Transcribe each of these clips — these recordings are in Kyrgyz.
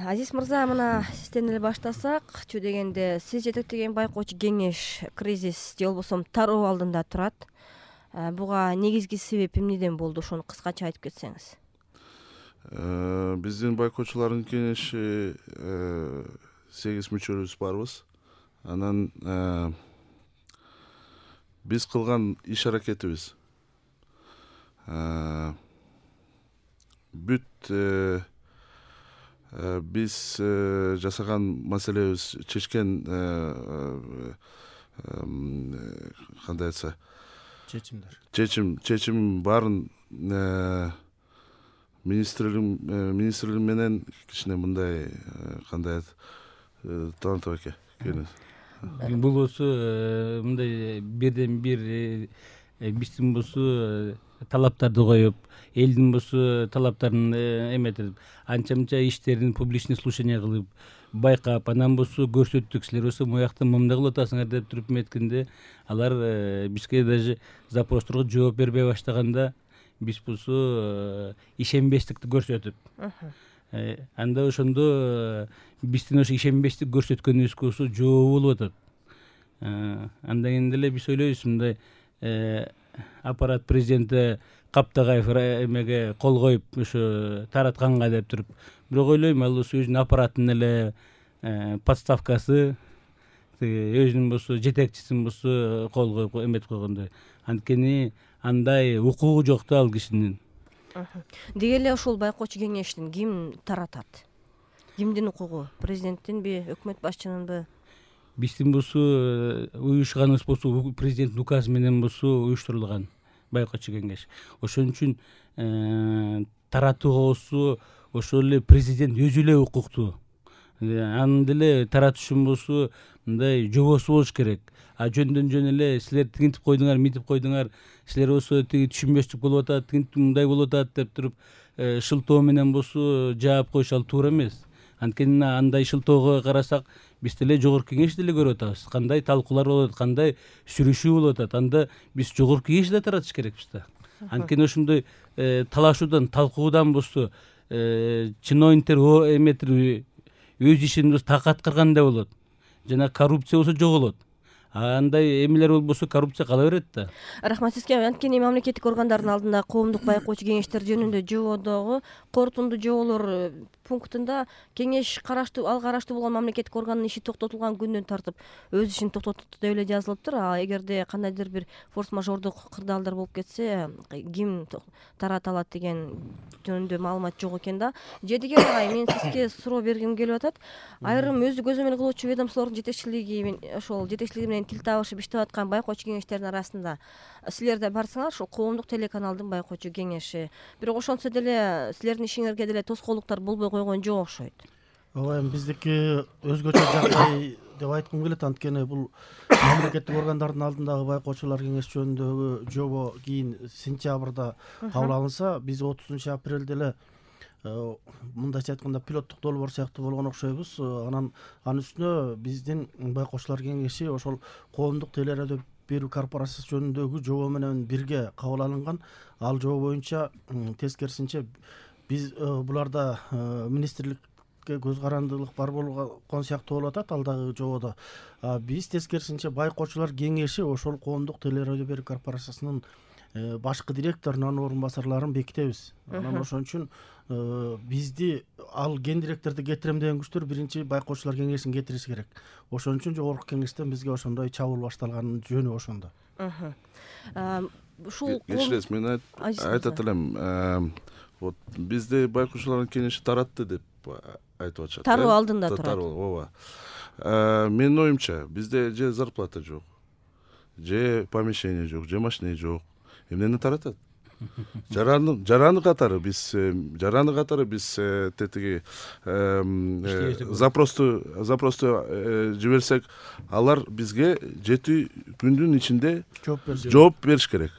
Азиз мырза, мына сизден эле баштасак, чү дегенде сиз жетектеген байкоочу кеңеш кризис же болбосо тароо алдында турат. Буга негизги себеп эмнеден болду? Ошону кыскача айтып кетсеңиз. Биздин байкоочулардын кеңеши 8 мүчөбүз барбыз. Анан биз кылган иш аракетибиз бүт биз жасаган маселебиз чечкен кандай айтса чечим баарын министрлик менен кичине мындай кандай Талантов аке бул болсо мындай бирден бир биздин болсо талаптарды коюп, элдин болсо талаптарын эметип, анча мынча иштерин публичный слушание кылып байкап, анан болсо көрсөттүк, силер болсо моякта мындай кылып атасыңар деп туруп эметкенде, алар бизге даже запростторго жооп бербей баштаганда, биз болсо ишенбестикти көрсөтүп, анда ошондо биздин ошо ишенбестик көрсөткөнүбүзгө болсо жообу болуп атат. Андан кийин деле биз ойлойбуз, мындай аппарат президенти Каптагаев эмеге кол коюп ошо таратканга деп туруп, бирок ойлойм, ал болсо өзүнүн аппараттын эле подставкасы, өзүнүн болсо жетекчисин болсо кол коюп эметип койгондой. Анткени андай укугу жок да ал кишинин. Деги эле ошол байкоочу кеңештин ким таратат? Кимдин укугу? Президенттинби, өкмөт башчынынбы? Биздин болсо уюшканыбыз болсо президенттин указы менен болсо уюштурулган байкоочу кеңеш. Ошон үчүн таратууга болсо ошол эле президент өзү эле укуктуу. Анын деле таратыш үчүн болсо мындай жобосу болуш керек. Жөндөн жөн эле силер тигинтип койдуңар, мынтип койдуңар, силер болсо тиги түшүнбөстүк болуп атат, тигинтип мындай болуп атат деп туруп шылтоо менен болсо жаап коюш ал туура эмес. Анткени андай шылтоого карасак, биз деле жогорку кеңеш деле көрүп атабыз. Кандай талкуулар болуп атат, кандай сүрүшүү болуп атат. Анда биз жогорку кеңешти да таратыш керекпиз да. Анткени ошондой талашуудан, талкуудан болсо чиновниктер эметир өз ишин так аткаргандай болот. Жана коррупция болсо жоголот. Андай эмелер болбосо коррупция кала берет да. Рахмат сизге. Анткени мамлекеттик органдардын алдында коомдук байкоочу кеңештер жөнүндө жободогу корутундуу жоболор пунктунда кеңеш ал караштуу болгон мамлекеттик органдын иши токтотулган күндөн тартып өз ишин токтотот деп эле жазылыптыр. Эгерде кандайдыр бир форс-мажордук кырдаалдар болуп кетсе, ким тарата алат деген жөнүндө маалымат жок экен да. Жедиге агай, мен сизге суроо бергим келип атат. Айрым өзү көзөмөл кылуучу ведомстволордун жетекчилиги ошол жетекчилиги менен тил табышып иштеп аткан байкоочу кеңештердин арасында силер да барсыңар, ошол коомдук телеканалдын байкоочу кеңеши. Бирок ошонсо деле силердин ишиңерге деле тоскоолдуктар болбой койгон жок окшойт. Ооба, биздики өзгөчө жагдай деп айткым келет. Анткени бул мамлекеттик органдардын алдындагы байкоочулар кеңеш жөнүндөгү жобо кийин сентябрда кабыл алынса, биз 30 апрелде эле мындайча айтканда пилоттук долбоор сыяктуу болгон окшойбуз. Анан анын үстүнө биздин байкоочулар кеңеши ошол коомдук телерадио берүү корпорациясы жөнүндөгү жобо менен бирге кабыл алынган. Ал жобо боюнча тескерисинче биз буларда министрликке көз карандылык бар болгон сыяктуу болуп атат ал дагы жободо. Биз тескерисинче байкоочулар кеңеши ошол коомдук телерадио берүү корпорациясынын башкы директорунун орун басарларын бекитебиз. Анан ошон үчүн бизди ал ген директорду кетирем деген күчтөр биринчи байкоочулар кеңешин кетириш керек. Ошон үчүн жогорку кеңештен бизге ошондой чабуул башталганын жөнү ошондо. Ушул кечиресиз, мен айтат элем, вот бизди байкоочулардын кеңеши таратты деп айтып атышат. Тароо алдында турат. Ооба. Менин оюмча, бизде же зарплата жок, же помещение жок, же машина жок. Эмнени таратат? Жараны катары биз тетиги запросту жиберсек, алар бизге 7 күндүн ичинде жооп бериш керек.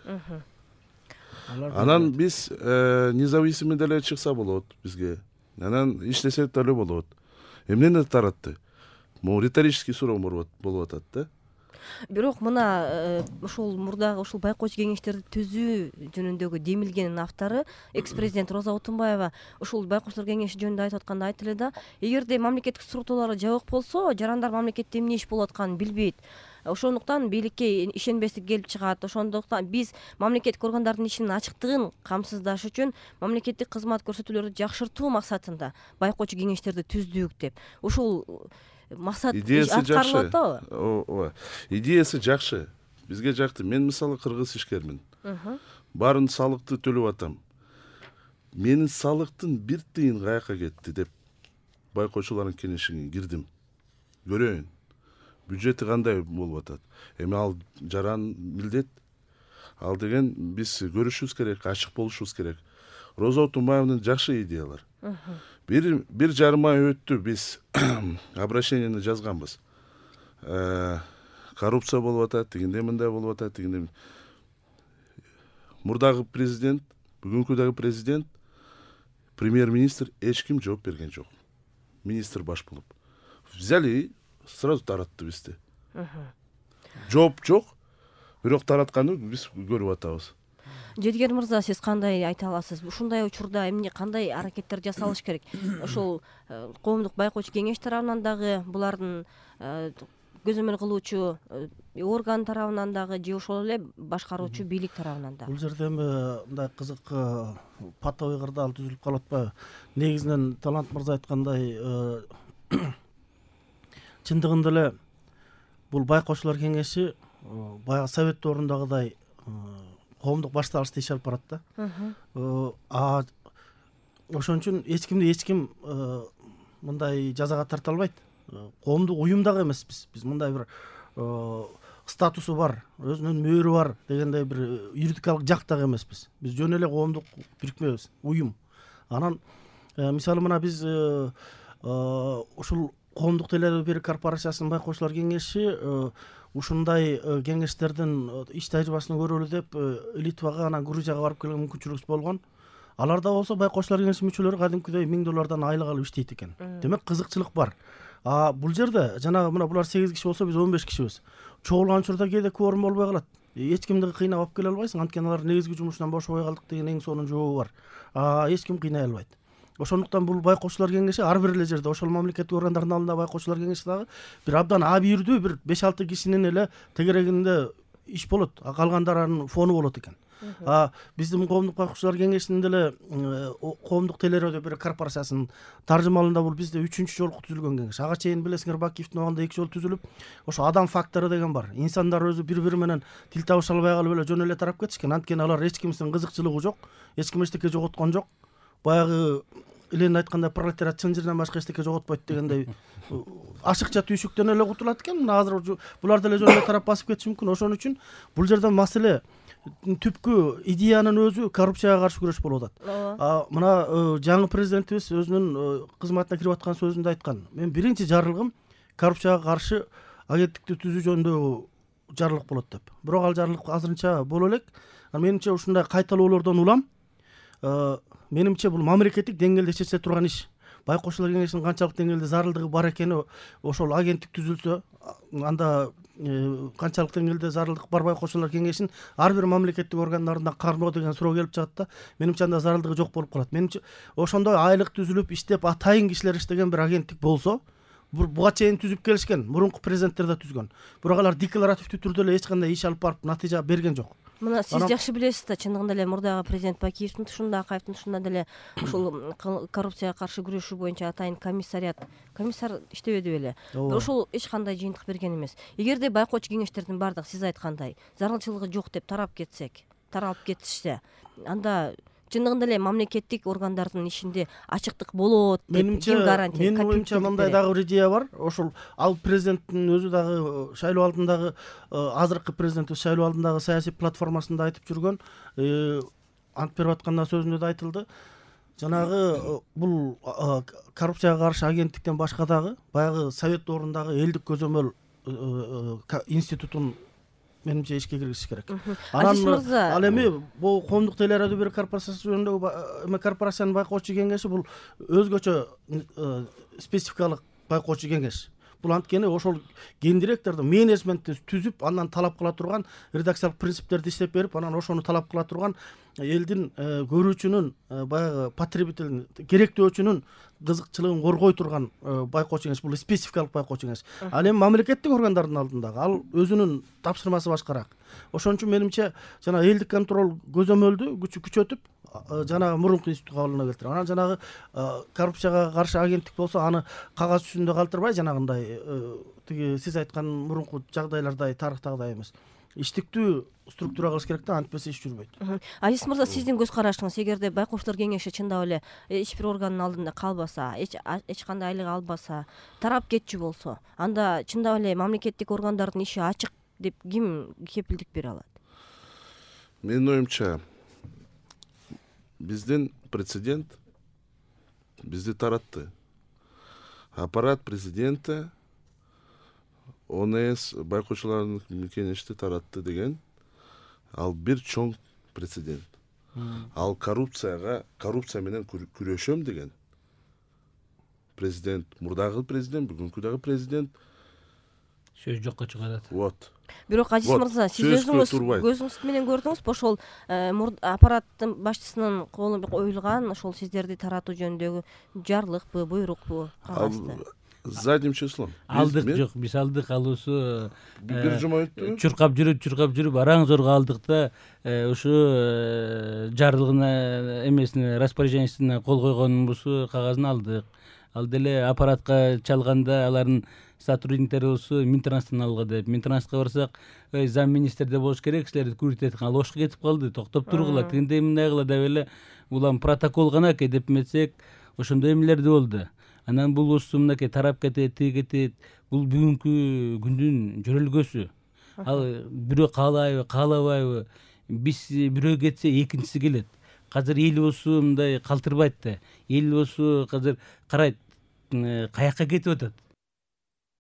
Анан биз независимый деле чыкса болот бизге. Анан иштесек деле болот. Эмнени таратты? Могу риторический суроо болуп атат да. Бирок мына ушул мурдагы ушул байкоочу кеңештерди түзүү жөнүндөгү демилгенин автору экс-президент Роза Отунбаева ушул байкоочулар кеңеши жөнүндө айтып атканда айтты эле да, эгерде мамлекеттик структуралар жабык болсо, жарандар мамлекетте эмне иш болуп атканын билбейт. Ошондуктан бийликке ишенбестик келип чыгат. Ошондуктан биз мамлекеттик органдардын ишинин ачыктыгын камсыздаш үчүн мамлекеттик кызмат көрсөтүүлөрдү жакшыртуу максатында байкоочу кеңештерди түздүк деп. Ушул максат аткарылып атабы? Ооба. Идеясы жакшы. Бизге жакты. Мен мисалы кыргыз ишкермин. Баарын салыкты төлөп атам. Менин салыктын бир тыйын каяка кетти деп байкоочулардын кеңешине кирдим. Көрөйүн. Бюджети кандай болуп атат? Эми ал жаран милдет. Ал деген биз көрүшүбүз керек, ачык болушубуз керек. Роза Отунбаевдын жакшы идеялар. Бир жарым ай өттү, биз обращениени жазганбыз. Коррупция болуп атат, тигиндей мындай болуп атат, тигиндей. Мурдагы президент, бүгүнкү дагы президент, премьер-министр эч ким жооп берген жок. Министр баш болуп. Взяли сразу таратты бизди. Жооп жок, бирок таратканды биз көрүп атабыз. Жедигер мырза, сиз кандай айта аласыз? Ушундай учурда эмне кандай аракеттер жасалыш керек? Ошол коомдук байкоочу кеңеш тарабынан дагы, булардын көзөмөл кылуучу орган тарабынан дагы, же ошол эле башкаруучу бийлик тарабынан дагы? Бул жерде эми мындай кызык патовый кырдаал түзүлүп калып атпайбы? Негизинен Талант мырза айткандай, чындыгында эле бул байкоочулар кеңеши баягы совет доорундагыдай коомдук башталышта иш алып барат да. Ошон үчүн эч ким мындай жазага тарта албайт. Коомдук уюм дагы эмеспиз. Биз мындай бир статусу бар, өзүнүн мөөрү бар дегендей бир юридикалык жак дагы эмеспиз. Биз жөн эле коомдук бирикмебиз, уюм. Анан мисалы мына биз ушул коомдук телерадио берүү корпорациясынын байкоочулар кеңеши ушундай кеңештердин иш тажрыйбасын көрөлү деп Литвага, анан Грузияга барып келген мүмкүнчүлүгүбүз болгон. Аларда болсо байкоочулар кеңешинин мүчөлөрү кадимкидей $1000 айлык алып иштейт экен. Демек кызыкчылык бар. Бул жерде жанагы мына булар 8 киши болсо, биз 15 кишибиз. Чогулган учурда кээде кворум болбой калат. Эч кимди кыйнап алып келе албайсың, анткени алар негизги жумушунан бошобой калдык деген эң сонун жообу бар. Эч ким кыйнай албайт. Ошондуктан бул байкоочулар кеңеши ар бир эле жерде, ошол мамлекеттик органдардын алдында байкоочулар кеңеши дагы бир абдан абийирдүү бир 5-6 кишинин эле тегерегинде иш болот, калгандарынын фону болот экен. Биздин коомдук байкоочулар кеңешинин деле коомдук телерадио берүү корпорациясынын таржымалында бул бизде 3-чү жолку түзүлгөн кеңеш. Ага чейин билесиңер, Бакиевдин убагында 2 жолу түзүлүп, ошо адам фактору деген бар. Инсандар өзү бири-бири менен тил табыша албай калып эле жөн эле тарап кетишкен. Анткени алар эч кимдин кызыкчылыгы жок, эч ким эчтеке жоготкон жок. Баягы Ленин айткандай, пролетариат чынжырдан башка эчтеке жоготпойт дегендей ашыкча түйшүктөн эле кутулат экен. Мына азыр булар деле жөн эле тарап басып кетиши мүмкүн. Ошон үчүн бул жерде маселе түпкү идеянын өзү коррупцияга каршы күрөш болуп атат. Мына жаңы президентибиз өзүнүн кызматына кирип аткан сөзүндө айткан. Мен биринчи жарлыгым коррупцияга каршы агенттикти түзүү жөнүндө жарлык болот деп. Бирок ал жарлык азырынча боло элек. Менимче ушундай кайталоолордон улам менимче бул мамлекеттик деңгээлде чечиле турган иш. Байкоочулар кеңешинин канчалык деңгээлде зарылдыгы бар экени ошол агенттик түзүлсө, анда канчалык деңгээлде зарылдык бар байкоочулар кеңешин ар бир мамлекеттик органдарында кармоо деген суроо келип чыгат да. Менимче анда зарылдыгы жок болуп калат. Менимче ошондой айлык түзүлүп иштеп атайын кишилер иштеген бир агенттик болсо, буга чейин түзүп келишкен, мурунку президенттер да түзгөн. Бирок алар декларативдүү түрдө эле эч кандай иш алып барып натыйжа берген жок. Мына сиз жакшы билесиз да, чындыгында эле мурдагы президент Бакиевдин тушунда, Акаевдин тушунда деле ушул коррупцияга каршы күрөшүү боюнча атайын комиссар иштебеди беле. Ошол эч кандай жыйынтык берген эмес. Эгерде байкоочу кеңештердин бардыгы сиз айткандай зарылчылыгы жок деп таралып кетишсе, анда чындыгында эле мамлекеттик органдардын ишинде ачыктык болот деп ким гарантия? Менин оюмча мындай дагы бир идея бар. Ошол ал президенттин өзү дагы шайлоо алдындагы азыркы президентибиз шайлоо алдындагы саясий платформасында айтып жүргөн, ант берип атканда сөзүндө да айтылды. Жанагы бул коррупцияга каршы агенттиктен башка дагы баягы совет доорундагы элдик көзөмөл институтун менимче ишке киргизиш керек. Ал эми бул коомдук телерадио берүү корпорациясы жөнүндөгү корпорациянын байкоочу кеңеши бул өзгөчө спецификалык байкоочу кеңеш. бул анткени ошол гендиректорду менеджментти түзүп андан талап кыла турган редакциялык принциптерди иштеп берип анан ошону талап кыла турган элдин көрүүчүнүн баягы потребителдин керектөөчүнүн кызыкчылыгын коргой турган байкоочу кеңеш. Бул спецификалык байкоочу кеңеш. Ал эми мамлекеттик органдардын алдындагы ал өзүнүн тапшырмасы башкараак. Ошон үчүн менимче жана элдик контроль көзөмөлдү күчөтүп жанагы мурунку институтка кабылына келтирип анан жанагы коррупцияга каршы агенттик болсо аны кагаз жүзүндө калтырбай жанагындай тиги сиз айткан мурунку жагдайлардай тарыхтагыдай эмес иштиктүү структура кылыш керек да, антпесе иш жүрбөйт. Азиз мырза, сиздин көз карашыңыз, эгерде байкоочулар кеңеши чындап эле эч бир органдын алдында калбаса, эч кандай айлык албаса, тарап кетчү болсо, анда чындап эле мамлекеттик органдардын иши ачык деп ким кепилдик бере алат? Менин оюмча, биздин прецедент бизди таратты. Аппарат президенти ОНС байкоочулардын кеңешти таратты деген ал бир чоң прецедент. Ал коррупция менен күрөшөм деген президент, мурдагы президент, бүгүнкү дагы президент сөз жокко чыгарат. Вот. Бирок Азиз мырза, сиз өзүңүз көзүңүз менен көрдүңүзбү ошол аппараттын башчысынын колуна коюлган ошол сиздерди таратуу жөнүндөгү жарлыкпы, буйрукпу, кагазды? Задним числом. Алдык жок, биз алдык, алуусу бир жума өттү. Чуркап жүрүп араң зорго алдык да ушу жарлыгына эмесине распоряжениесине кол койгонбузбу кагазын алдык. Ал деле аппаратка чалганда алардын сотрудниктери болсо Минтранстан алга деп. Минтрансқа барсак, зам министрде болуш керек, силерди күрүтөт. Ал ошко кетип калды, токтоп тургула, тигиндей мындай кыла деп эле улам протокол гана эке деп метсек, ошондой эмелерди болду. Анан бул усту мынакей тарап кетет, тиги кетет. Бул бүгүнкү күндүн жөрөлгөсү. Ал бирөө каалайбы, каалабайбы, биз бирөө кетсе экинчиси келет. Азыр эл болсу мындай калтырбайт да. Эл болсу азыр карайт, каяка кетип атат.